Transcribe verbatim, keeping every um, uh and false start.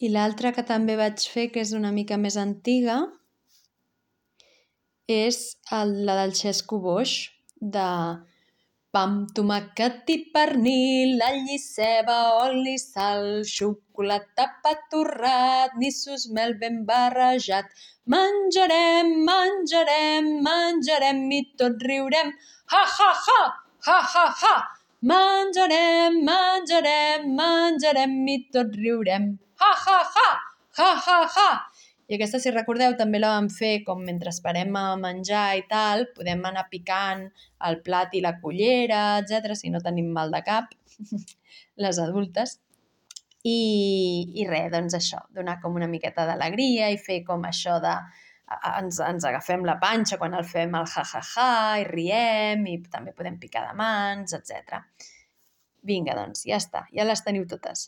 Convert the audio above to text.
I l'altra que també vaig fer, que és una mica més antiga, és el, la del xesco boix, de pa amb tomàquet i pernil, all i ceba, oli, sal, xocolata, pa torrat, nissos, mel ben barrejat. Menjarem, menjarem, menjarem i tots riurem. Ha, ha, ha! Ha, ha, ha! Menjarem, menjarem, menjarem i tots riurem. Ha, ha, ha! Ha, ha, ha! I aquesta, si recordeu, també la vam fer com mentre esperem a menjar i tal, podem anar picant el plat i la cullera, etcètera, si no tenim mal de cap, les adultes. I, i res, doncs això, donar com una miqueta d'alegria i fer com això de... Ens, ens agafem la panxa quan el fem el ha-ha-ha i riem i també podem picar de mans, etcètera. Vinga, doncs, ja està, ja les teniu totes.